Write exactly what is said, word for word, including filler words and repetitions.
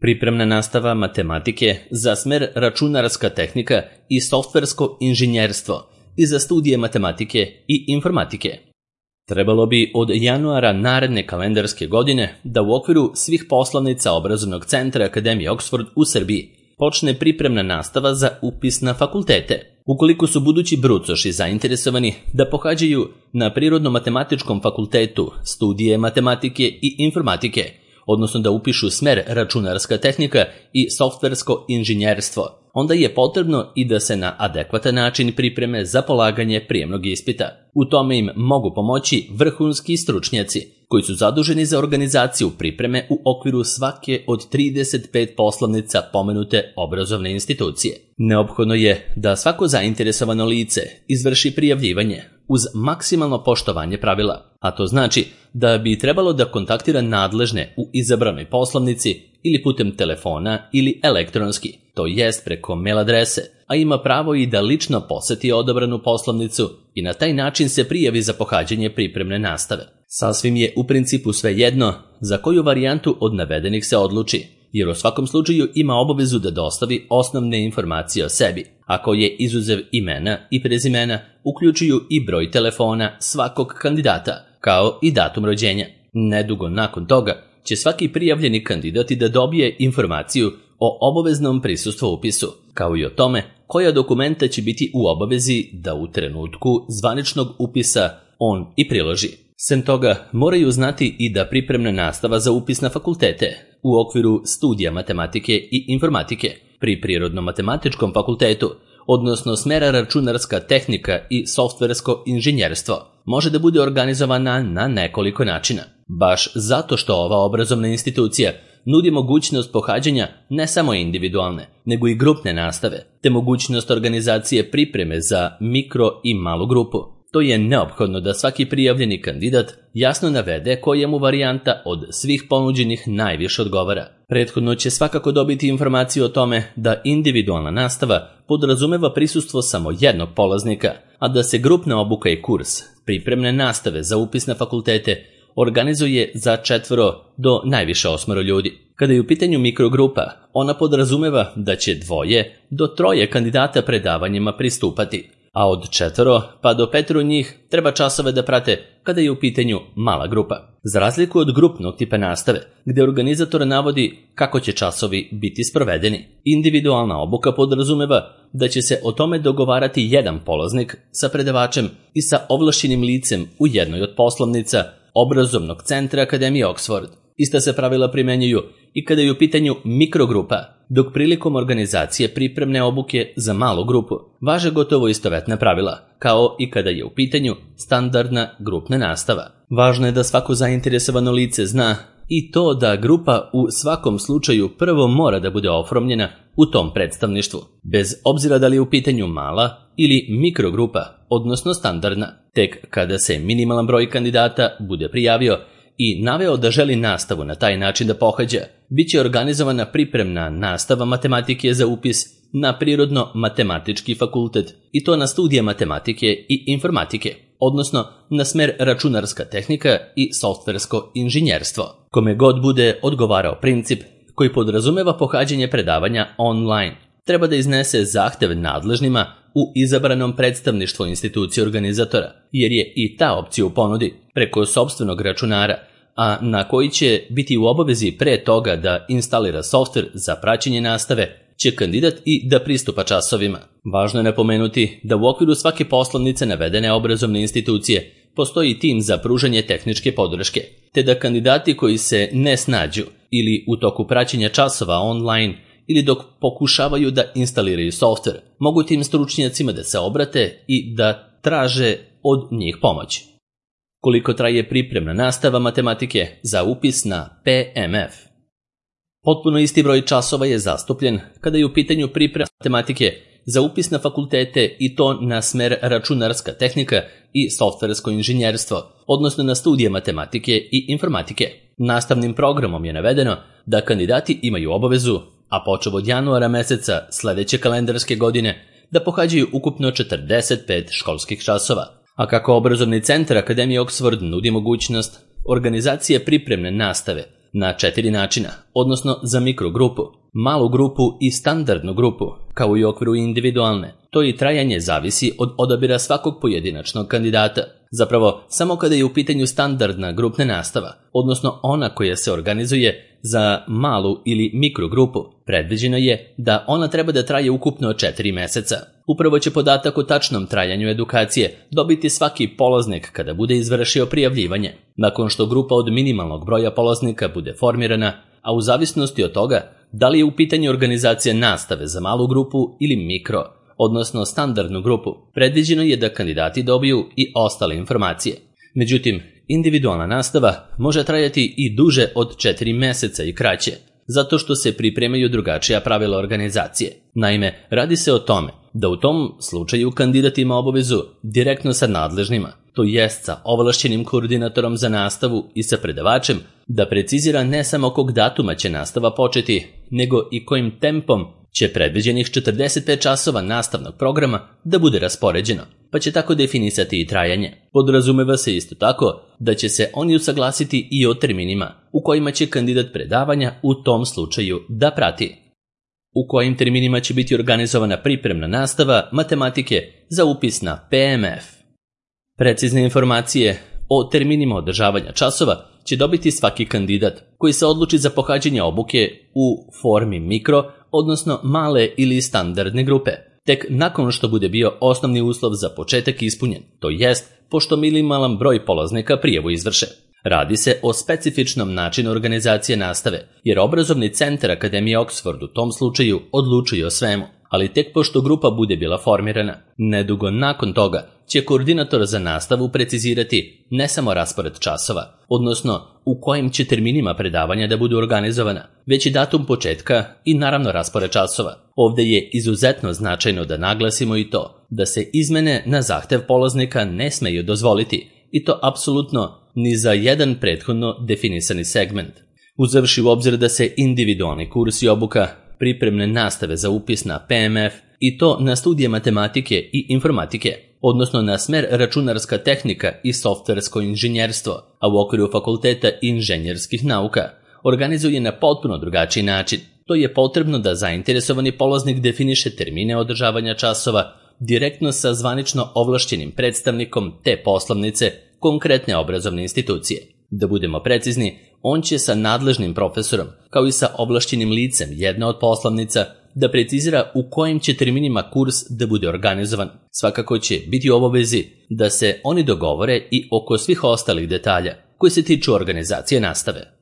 Pripremna nastava matematike za smer računarska tehnika i softversko inženjerstvo i za studije matematike i informatike. Trebalo bi od januara naredne kalendarske godine da u okviru svih poslovnica obrazovnog centra Akademije Oxford u Srbiji počne pripremna nastava za upis na fakultete. Ukoliko su budući brucoši zainteresovani da pohađaju na Prirodno-matematičkom fakultetu studije matematike i informatike, odnosno da upišu smer računarska tehnika i softversko inženjerstvo, onda je potrebno i da se na adekvatan način pripreme za polaganje prijemnog ispita. U tome im mogu pomoći vrhunski stručnjaci koji su zaduženi za organizaciju pripreme u okviru svake od trideset pet poslovnica pomenute obrazovne institucije. Neophodno je da svako zainteresovano lice izvrši prijavljivanje uz maksimalno poštovanje pravila, a to znači da bi trebalo da kontaktira nadležne u izabranoj poslovnici ili putem telefona ili elektronski, to jest preko mail adrese, a ima pravo i da lično poseti odabranu poslovnicu i na taj način se prijavi za pohađanje pripremne nastave. Sasvim je u principu svejedno za koju varijantu od navedenih se odluči, jer u svakom slučaju ima obavezu da dostavi osnovne informacije o sebi, a koje izuzev imena i prezimena uključuju i broj telefona svakog kandidata, kao i datum rođenja. Nedugo nakon toga će svaki prijavljeni kandidat da dobije informaciju o obaveznom prisustvu upisu, kao i o tome koja dokumenta će biti u obavezi da u trenutku zvaničnog upisa on i priloži. Sem toga, moraju znati i da pripremna nastava za upis na fakultete u okviru studija matematike i informatike pri Prirodno-matematičkom fakultetu, odnosno smera računarska tehnika i softversko inženjerstvo, može da bude organizovana na nekoliko načina. Baš zato što ova obrazovna institucija nudi mogućnost pohađanja ne samo individualne, nego i grupne nastave, te mogućnost organizacije pripreme za mikro i malu grupu. To je neophodno da svaki prijavljeni kandidat jasno navede koja mu varijanta od svih ponuđenih najviše odgovara. Prethodno će svakako dobiti informaciju o tome da individualna nastava podrazumeva prisustvo samo jednog polaznika, a da se grupna obuka i kurs pripremne nastave za upis na fakultete organizuje za četvoro do najviše osmoro ljudi. Kada je u pitanju mikrogrupa, ona podrazumeva da će dvoje do troje kandidata predavanjima pristupati, a od četvoro pa do petoro njih treba časove da prate kada je u pitanju mala grupa. Za razliku od grupnog tipa nastave, gde organizator navodi kako će časovi biti sprovedeni, individualna obuka podrazumeva da će se o tome dogovarati jedan polaznik sa predavačem i sa ovlašćenim licem u jednoj od poslovnica obrazovnog centra Akademije Oxford. Ista se pravila primenjuju i kada je u pitanju mikrogrupa, dok prilikom organizacije pripremne obuke za malu grupu važe gotovo istovetna pravila, kao i kada je u pitanju standardna grupna nastava. Važno je da svako zainteresovano lice zna i to da grupa u svakom slučaju prvo mora da bude oformljena u tom predstavništvu, bez obzira da li je u pitanju mala ili mikrogrupa, odnosno standardna. Tek kada se minimalan broj kandidata bude prijavio i naveo da želi nastavu na taj način da pohađa, bit će organizovana pripremna nastava matematike za upis na Prirodno-matematički fakultet i to na studije matematike i informatike, odnosno na smer računarska tehnika i softversko inženjerstvo. Kome god bude odgovarao princip koji podrazumeva pohađanje predavanja online, treba da iznese zahtev nadležnima u izabranom predstavništvu institucije organizatora, jer je i ta opcija u ponudi preko sopstvenog računara, a na koji će biti u obavezi pre toga da instalira softver za praćenje nastave, će kandidat i da pristupa časovima. Važno je napomenuti da u okviru svake poslovnice navedene obrazovne institucije postoji tim za pružanje tehničke podrške, te da kandidati koji se ne snađu ili u toku praćenja časova online ili dok pokušavaju da instaliraju softver, mogu tim stručnjacima da se obrate i da traže od njih pomoć. Koliko traje pripremna nastava matematike za upis na P M F? Potpuno isti broj časova je zastupljen kada je u pitanju priprema matematike za upis na fakultete i to na smer računarska tehnika i softversko inženjerstvo, odnosno na studije matematike i informatike. Nastavnim programom je navedeno da kandidati imaju obavezu, a počev od januara meseca sledeće kalendarske godine, da pohađaju ukupno četrdeset pet školskih časova. A kako obrazovni centar Akademije Oxford nudi mogućnost organizacije pripremne nastave na četiri načina, odnosno za mikrogrupu, malu grupu i standardnu grupu, kao i u okviru individualne. To i trajanje zavisi od odabira svakog pojedinačnog kandidata. Zapravo, samo kada je u pitanju standardna grupna nastava, odnosno ona koja se organizuje za malu ili mikrogrupu, predviđeno je da ona treba da traje ukupno četiri meseca. Upravo će podatak o tačnom trajanju edukacije dobiti svaki polaznik kada bude izvršio prijavljivanje. Nakon što grupa od minimalnog broja polaznika bude formirana, a u zavisnosti od toga da li je u pitanju organizacija nastave za malu grupu ili mikro, odnosno standardnu grupu, predviđeno je da kandidati dobiju i ostale informacije. Međutim, individualna nastava može trajati i duže od četiri meseca i kraće, zato što se pripremaju drugačija pravila organizacije. Naime, radi se o tome da u tom slučaju kandidat ima obavezu direktno sa nadležnima, to jest sa ovlašćenim koordinatorom za nastavu i sa predavačem, da precizira ne samo kog datuma će nastava početi, nego i kojim tempom će predviđenih četrdeset pet časova nastavnog programa da bude raspoređeno, pa će tako definisati i trajanje. Podrazumeva se isto tako da će se oni usaglasiti i o terminima u kojima će kandidat predavanja u tom slučaju da prati. U kojim terminima će biti organizovana pripremna nastava matematike za upis na P M F. Precizne informacije o terminima održavanja časova će dobiti svaki kandidat koji se odluči za pohađanje obuke u formi mikro, odnosno male ili standardne grupe, tek nakon što bude bio osnovni uslov za početak ispunjen, to jest pošto minimalan broj polaznika prijavu izvrše. Radi se o specifičnom načinu organizacije nastave, jer obrazovni centar Akademije Oxford u tom slučaju odlučuje o svemu, ali tek pošto grupa bude bila formirana. Nedugo nakon toga će koordinator za nastavu precizirati ne samo raspored časova, odnosno u kojim će terminima predavanja da budu organizovana, već i datum početka i naravno raspored časova. Ovdje je izuzetno značajno da naglasimo i to da se izmene na zahtev polaznika ne smeju dozvoliti, i to apsolutno ni za jedan prethodno definisani segment. Uzevši u obzir da se individualni kurs i obuka pripremne nastave za upis na P M F i to na studije matematike i informatike, odnosno na smer računarska tehnika i softversko inženjerstvo, a u okviru fakulteta inženjerskih nauka, organizuje na potpuno drugačiji način. To je potrebno da zainteresovani polaznik definiše termine održavanja časova direktno sa zvanično ovlašćenim predstavnikom te poslovnice konkretne obrazovne institucije. Da budemo precizni, on će sa nadležnim profesorom, kao i sa ovlašćenim licem jedne od poslovnica, da precizira u kojim će terminima kurs da bude organizovan. Svakako će biti u obavezi da se oni dogovore i oko svih ostalih detalja koji se tiču organizacije nastave.